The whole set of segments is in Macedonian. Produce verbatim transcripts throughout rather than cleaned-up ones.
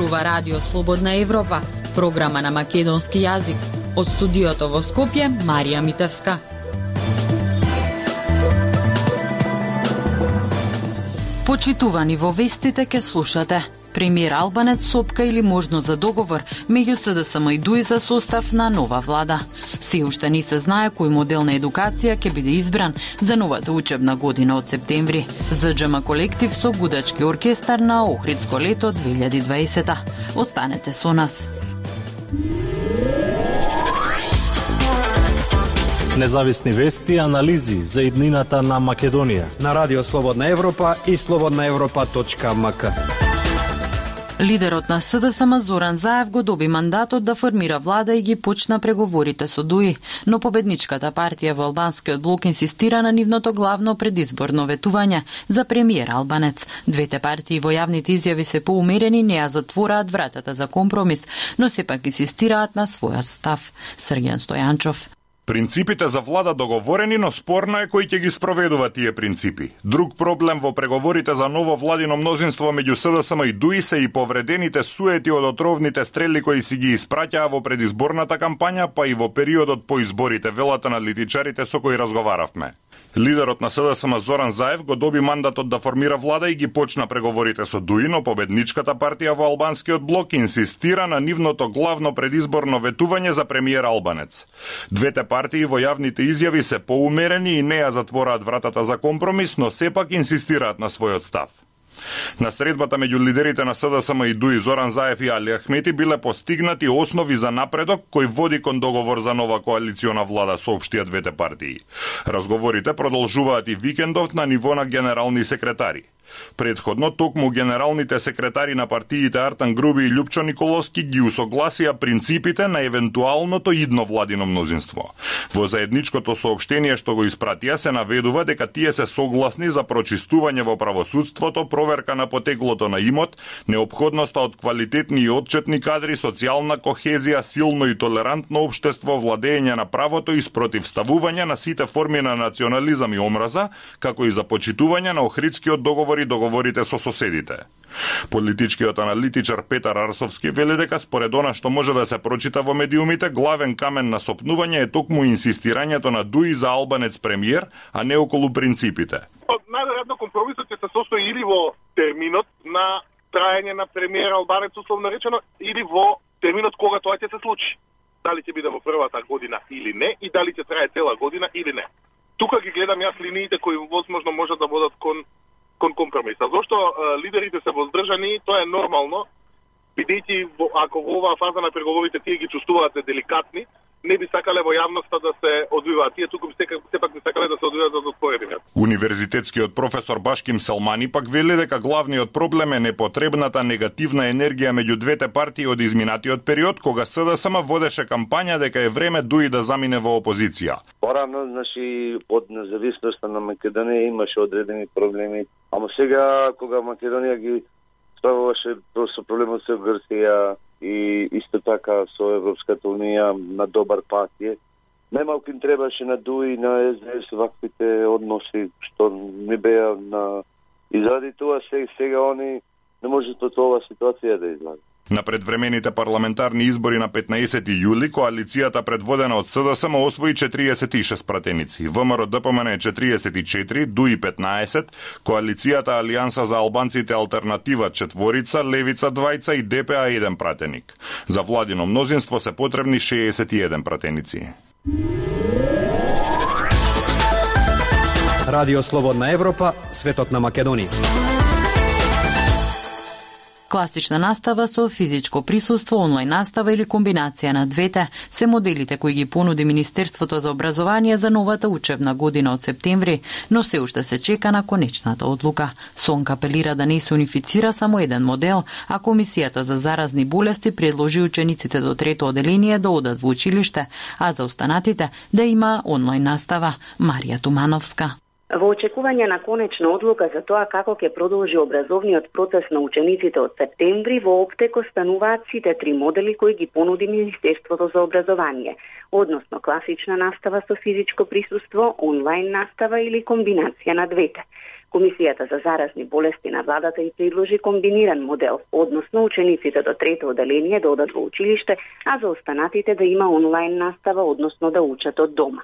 зборува Радио Слободна Европа, програма на македонски јазик. Од студиото во Скопје, Марија Митевска. Почитувани, во вестите ке слушате: премиер Албанец сопка или можност за договор меѓу СДСМ и ДУИ за состав на нова влада. Се уште не се знае кој модел на едукација ќе биде избран за новата учебна година од септември. ЗДЖМ колектив со гудачки оркестар на Охридско лето две илјади и дваесета. Останете со нас. Независни вести и анализи за иднината на Македонија на Радио Слободна Европа и слободна европа точка ем ка. Лидерот на СДСМ Зоран Заев го доби мандатот да формира влада и ги почна преговорите со ДУИ, но победничката партија во албанскиот блок инсистира на нивното главно предизборно ветување за премиер Албанец. Двете партии во јавните изјави се поумерени, не ја затвораат вратата за компромис, но сепак инсистираат на својот став. Срген Стојанчов. Принципите за влада договорени, но спорно е кој ќе ги спроведува тие принципи. Друг проблем во преговорите за ново владино мнозинство меѓу СДСМ и ДУИ се и повредените суети од отровните стрели кои си ги испраќаа во предизборната кампања, па и во периодот по изборите, велат аналитичарите со кои разговаравме. Лидерот на СДСМ Зоран Заев го доби мандатот да формира влада и ги почна преговорите со ДУИ, но победничката партија во албанскиот блок инсистира на нивното главно предизборно ветување за премиер Албанец. Двете партии во јавните изјави се поумерени и не ја затвораат вратата за компромис, но сепак инсистираат на својот став. На средбата меѓу лидерите на СДСМ и ДУИ Зоран Заев и Али Ахмети биле постигнати основи за напредок кој води кон договор за нова коалициона влада, соопштија двете партии. Разговорите продолжуваат и викендов на ниво на генерални секретари. Предходно, токму генералните секретари на партиите Артан Груби и Љупчо Николовски ги усогласија принципите на евентуалното идно владино мнозинство. Во заедничкото соопштение што го испратија се наведува дека тие се согласни за прочистување во правосудството, проверка на потеклото на имот, неопходноста од квалитетни и отчетни кадри, социјална кохезија, силно и толерантно општество, владење на правото и спротивставување на сите форми на национализам и омраза, како и за почитување на Охридскиот договор и договорите со соседите. Политичкиот аналитичар Петар Арсовски вели дека според она што може да се прочита во медиумите, главен камен на сопнување е токму инсистирањето на ДУИ за Албанец премиер, а не околу принципите. Најверојатно компромисот ќе се состои или во терминот на траење на премиер Албанец, условно речено, или во терминот кога тоа ќе се случи. Дали ќе биде во првата година или не, и дали ќе трае цела година или не. Тука ги гледам јас линиите кои возможно можат да бодат кон кон компромиса. Зошто е, лидерите се воздржани, тоа е нормално, бидејќи ако во оваа фаза на преговорите тие ги чувствуваат деликатни, не би сакале во јавноста да се одвиваат. Тие туку сепак би сакале да се одвиваат за споредбите. Универзитетскиот професор Башким Селмани пак вели дека главниот проблем е непотребната негативна енергија меѓу двете партии од изминатиот период, кога СДСМ водеше кампања дека е време ДУИ да замине во опозиција. Порано, значи, од независноста на Македонија имаше одредени проблеми, ама сега кога Македонија ги ставаше со проблемот со Грција и исто така со Европската унија на добар пат е, најмалку им требаше на ДУИ, на СДС ваквите односи што не беа на... И заради тоа сега, сега они не можат од оваа ситуација да излазат. На предвремените парламентарни избори на петнаесети јули, коалицијата предводена од СДСМ освои четириесет и шест пратеници, ВМРО ДПМН четириесет и четири, ДУИ петнаесет, коалицијата Алијанса за албанците Алтернатива четворица, Левица двајца и ДПА еден пратеник. За владино мнозинство се потребни шеесет и еден пратеници. Радио Слободна Европа, светот на Македонија. Класична настава со физичко присуство, онлайн настава или комбинација на двете се моделите кои ги понуди Министерството за образование за новата учебна година од септември, но се уште се чека на конечната одлука. СОНК апелира да не се унифицира само еден модел, а Комисијата за заразни болести предложи учениците до трето оделение да одат во училиште, а за останатите да има онлайн настава. Марија Тумановска. Во очекување на конечна одлука за тоа како ќе продолжи образовниот процес на учениците од септември, во оптеко стануваат сите три модели кои ги понуди Министерството за образование, односно класична настава со физичко присуство, онлайн настава или комбинација на двете. Комисијата за заразни болести на владата и предложи комбиниран модел, односно учениците до трето оделение да одат во училиште, а за останатите да има онлайн настава, односно да учат од дома.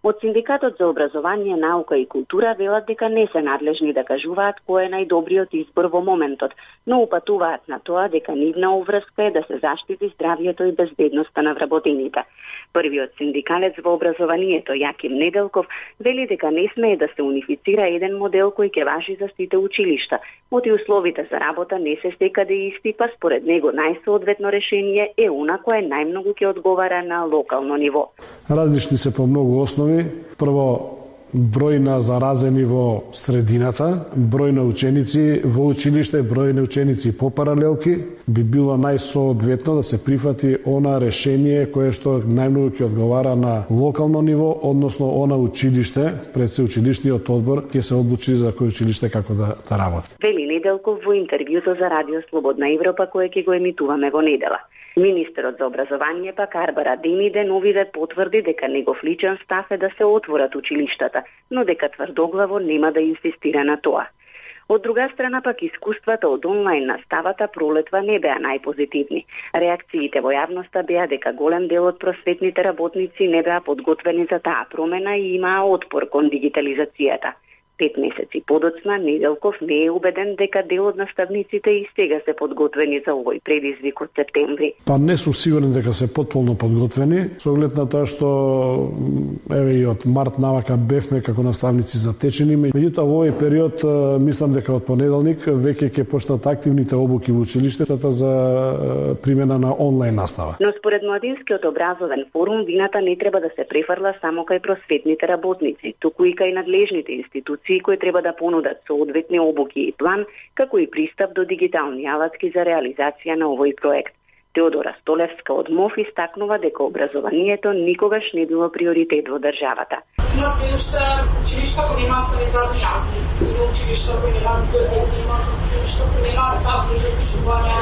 Од Синдикатот за образование, наука и култура велат дека не се надлежни да кажуваат кој е најдобриот избор во моментот, но упатуваат на тоа дека нивна обврска е да се заштити здравјето и безбедноста на вработените. Првиот синдикалец во образованието, Јаким Неделков, вели дека не смее да се унифицира еден модел кој ќе важи за сите училишта, оти условите за работа не се секаде исти, па според него најсоодветно решение е она кое најмногу ќе одговара на локално ниво. Различни се по многу основи. Прво, број на заразени во средината, број на ученици во училиште, број на ученици по паралелки, би било најсоодветно да се прифати она решение кое што најмногу ќе одговара на локално ниво, односно она училиште, пред се училишниот одбор ќе се одлучи за кој училиште како да, да работи. Вели Неделков во интервјуто за Радио Слободна Европа кое ќе го емитуваме во недела. Министерот за образование пак Арбара Деми деновиве потврди дека негов личен став е да се отворат училиштата, но дека тврдоглаво нема да инсистира на тоа. Од друга страна пак искуствата од онлайн наставата пролетва не беа најпозитивни. Реакциите во јавноста беа дека голем дел од просветните работници не беа подготвени за таа промена и имаа отпор кон дигитализацијата. Пет месеци подоцна, Неделков не е убеден дека дел од наставниците и сега се подготвени за овој предизвик од септември. Па не сум сигурен дека се потполно подготвени, со оглед на тоа што еве и од март навака бевме како наставници затечени, меѓутоа во овој период мислам дека од понеделник веќе ќе почнат активните обуки во училиштата за примена на онлайн настава. Но според Младинскиот образовен форум вината не треба да се префрла само кај просветните работници, туку и кај надлежните институции кои треба да понудат соодветни обуки и план, како и пристап до дигитални алатки за реализација на овој проект. Теодора Столевска од МОФ истакнува дека образованието никогаш не било приоритет во државата. Има се уште училишта кои немаат санитарни јазди, има училишта кои немаат библиотеки, има училишта кои немаат табли за пишување,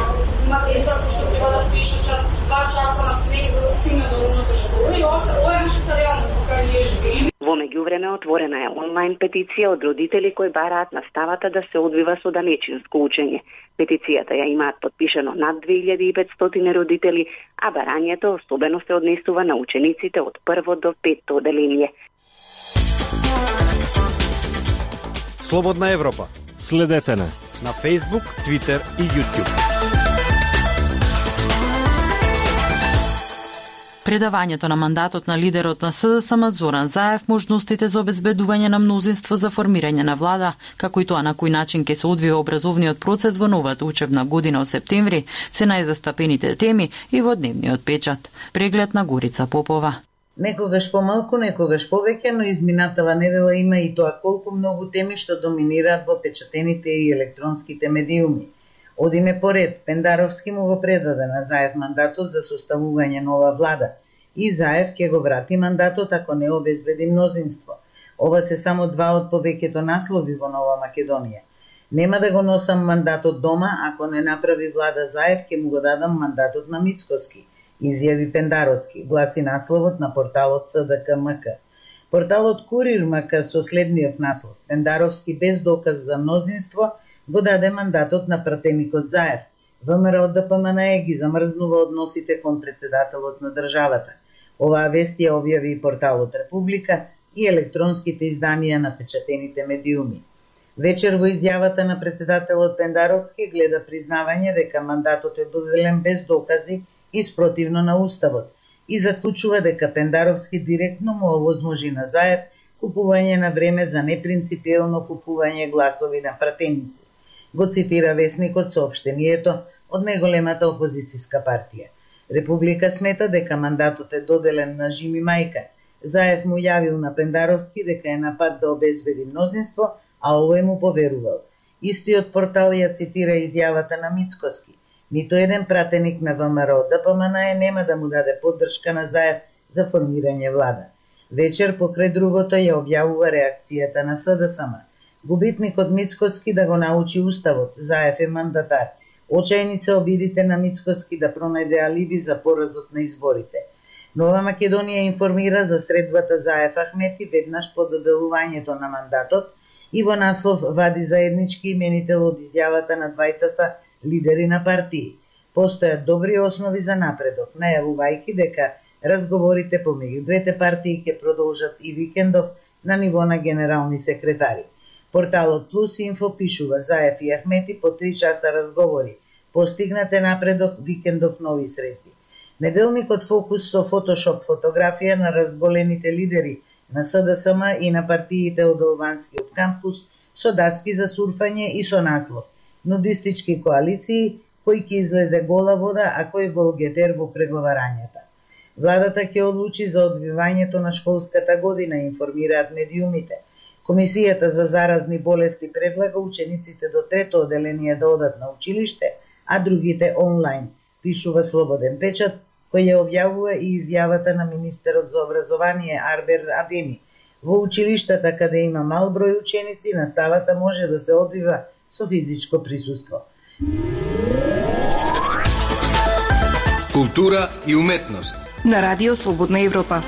има деца кои што треба да пишат два часа на снег за да стигне до рудната школа и ова е нашата реалност во која ние живееме. Во меѓувреме отворена е онлайн петиција од родители кои бараат наставата да се одвива со данечинско учење. Петицијата ја имаат подпишано над две илјади и петстотини родители, а барањето особено се однесува на учениците од прво до петто оделение. Слободна Европа. Следете на на Facebook, Twitter и YouTube. Предавањето на мандатот на лидерот на СДСМ Зоран Заев, можностите за обезбедување на мнозинство за формирање на влада, како и тоа на кој начин ќе се одвива образовниот процес во новата учебна година од септември, се најзастапените теми и во дневниот печат. Преглед на Горица Попова. Некогаш помалку, некогаш повеќе, но изминатава недела има и тоа колку многу теми што доминираат во печатените и електронските медиуми. Одиме поред, Пендаровски му го предаде на Заев мандатот за составување нова влада и Заев ќе го врати мандатот ако не обезбеди мнозинство. Ова се само два од повеќето наслови во Нова Македонија. Нема да го носам мандатот дома, ако не направи влада Заев, ќе му го дадам мандатот на Мицкоски, изјави Пендаровски, гласи насловот на порталот СДК-МК. Порталот Курир-МК со следниот наслов: Пендаровски без доказ за мнозинство го даде мандатот на пратеникот Заев. ВМРО ДПМНЕ ги замрзнува односите кон председателот на државата. Оваа вест ја објави и порталот Република и електронските изданија на печатените медиуми. Вечер во изјавата на председателот Пендаровски гледа признавање дека мандатот е доделен без докази и спротивно на Уставот и заклучува дека Пендаровски директно му овозможи на Заев купување на време за непринципиелно купување гласови на пратеници. Го цитира весникот соопштението од најголемата опозицијска партија. Република смета дека мандатот е доделен на Жими Мајка. Заев му јавил на Пендаровски дека е на пат да обезбеди мнозинство, а овој му поверувал. Истиот портал ја цитира изјавата на Мицкоски. Ниту еден пратеник на ВМРО ДПМНЕ нема да му даде поддршка на Заев за формирање влада. Вечер покрај другото ја објавува реакцијата на СДСМ. Губитникот Мицкоски да го научи Уставот, Заев е мандатар. Очајни се обидите на Мицкоски да пронајде алиби за поразот на изборите. Нова Македонија информира за средбата Заев Ахмети веднаш по доделувањето на мандатот и во наслов вади заеднички именител од изјавата на двајцата лидери на партии. Постојат добри основи за напредок, најавувајќи дека разговорите помеѓу двете партии ќе продолжат и викендов на ниво на генерални секретари. Порталот Плюс Инфо пишува: Заев и Ахмети по три часа разговори. Постигнате напредок, викендов нови средби. Неделникот Фокус со фотошоп фотографија на разболените лидери на СДСМ и на партиите од Албанскиот кампус со даски за сурфање и со наслов нудистички коалиции, кој ќе излезе гола вода, а кој голгетер во преговарањата. Владата ќе одлучи за одвивањето на школската година, информираат медиумите. Комисијата за заразни болести предлага учениците до трето оделение да одат на училиште, а другите онлайн, пишува Слободен печат, кој ја објавува и изјавата на министерот за образование Арбер Адеми. Во училиштата каде има мал број ученици, наставата може да се одвива со физичко присуство. Култура и уметност на Радио Слободна Европа.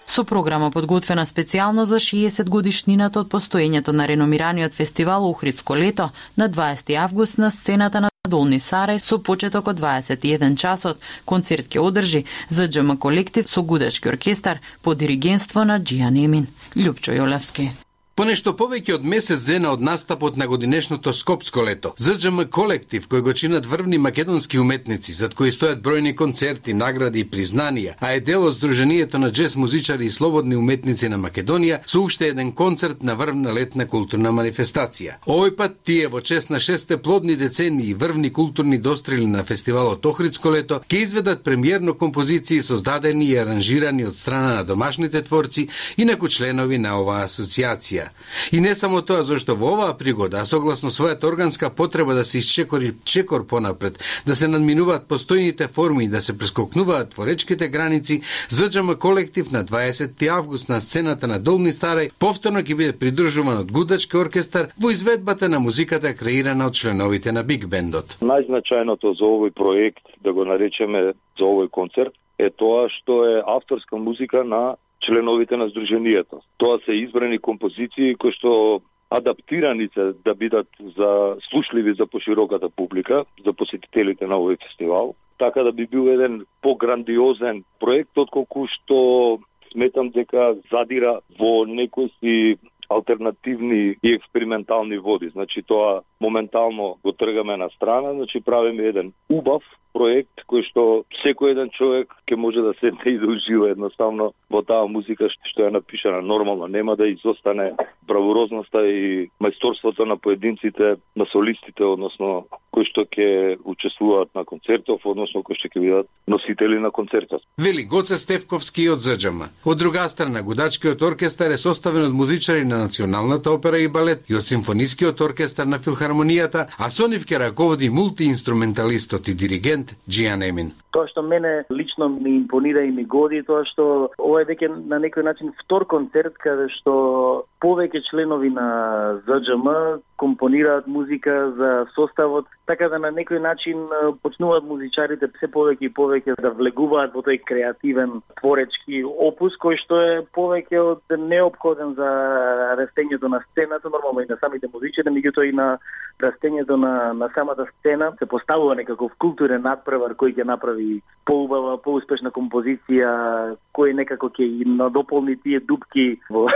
Со програма подготвена специјално за шеесет годишнината од постоењето на реномираниот фестивал Охридско лето на дваесети август на сцената на Долни Сарај со почеток од дваесет и еден часот, концерт ќе одржи ЗДЖМ колектив со гудачки оркестар по диригентство на Џијан Емин. Љупчо Јолевски. Понешто повеќе од месец дена од настапот на годинешното Скопско лето, ЗДЖМ колектив, кој го чинат врвни македонски уметници, зад кои стојат бројни концерти, награди и признанија, а е дел од Сдруженијето на джез музичари и слободни уметници на Македонија, со уште еден концерт на врвна летна културна манифестација. Овој пат тие во чест на шесте плодни децении и врвни културни дострели на фестивалот Охридско лето ќе изведат премиерно композиции создадени и аранжирани од страна на домашните творци и наку членови на оваа асоциација. И не само тоа, зашто во оваа пригода, а согласно својата органска потреба да се исчекори чекор понапред, да се надминуваат постојните форми и да се прескокнуваат творечките граници, ЗДЖМ колектив на дваесети август на сцената на Долни Старај повторно ќе биде придржуван од гудачки оркестар во изведбата на музиката креирана од членовите на Биг Бендот. Најзначајното за овој проект, да го наречеме за овој концерт, е тоа што е авторска музика на членовите на Сдруженијето. Тоа се избрани композиции кои што адаптирани се да бидат за слушливи за пошироката публика, за посетителите на овој фестивал, така да би бил еден пограндиозен проект, отколку што сметам дека задира во некои си алтернативни и експериментални води. Значи тоа моментално го тргаме на страна, значи правиме еден убав проект кој што секој еден човек ќе може да седне и да ужива едноставно во таа музика што е напишана нормално, нема да изостане бравурозноста и мајсторството на поединците, на солистите, односно кои што ќе учествуваат на концертов, односно кои што ќе бидат носители на концертот. Вели Гоце Стефковски од ЗДЖМ. Од друга страна, гудачкиот оркестар е составен од музичари на Националната опера и балет и од Симфонискиот оркестар на Филхармонијата, а со нив ќе раководи мултиинструменталистот и диригент Џијан Емин. Тоа што мене лично ми импонира и ми годи, тоа што ова е веќе на некој начин втор концерт каде што повеќе членови на ЗДЖМ компонираат музика за составот, така да на некој начин почнуваат музичарите се повеќе и повеќе да влегуваат во тој креативен творечки опус кој што е повеќе од неопходен за растењето на сцената, нормално и на самите музичари, меѓутоа и на растењето на на самата сцена се поставува некаков културен надпревар кој ќе направи поубава, поуспешна композиција, кој некако ќе и надополни тие дупки во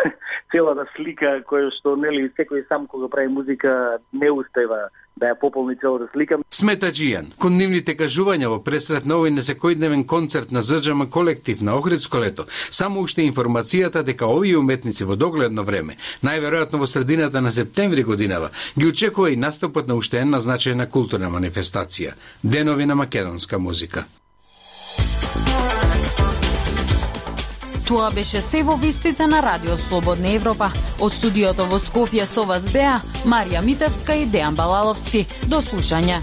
целата слика која што нели секој сам кога прави музика не успева да ја пополни целата слика. Смета Џијан, кон нивните кажувања во пресрет на овој несекојдневен концерт на ЗДЖМ колектив на Охридско лето, само уште информацијата дека овие уметници во догледно време, најверојатно во средината на септември годинава, ги очекува и настапот на уште една значајна културна манифестација – Денови на македонска музика. Тоа беше се во вестите на Радио Слободна Европа. Од студиото во Скопје со вас беа Марија Митевска и Дејан Балаловски. До слушање.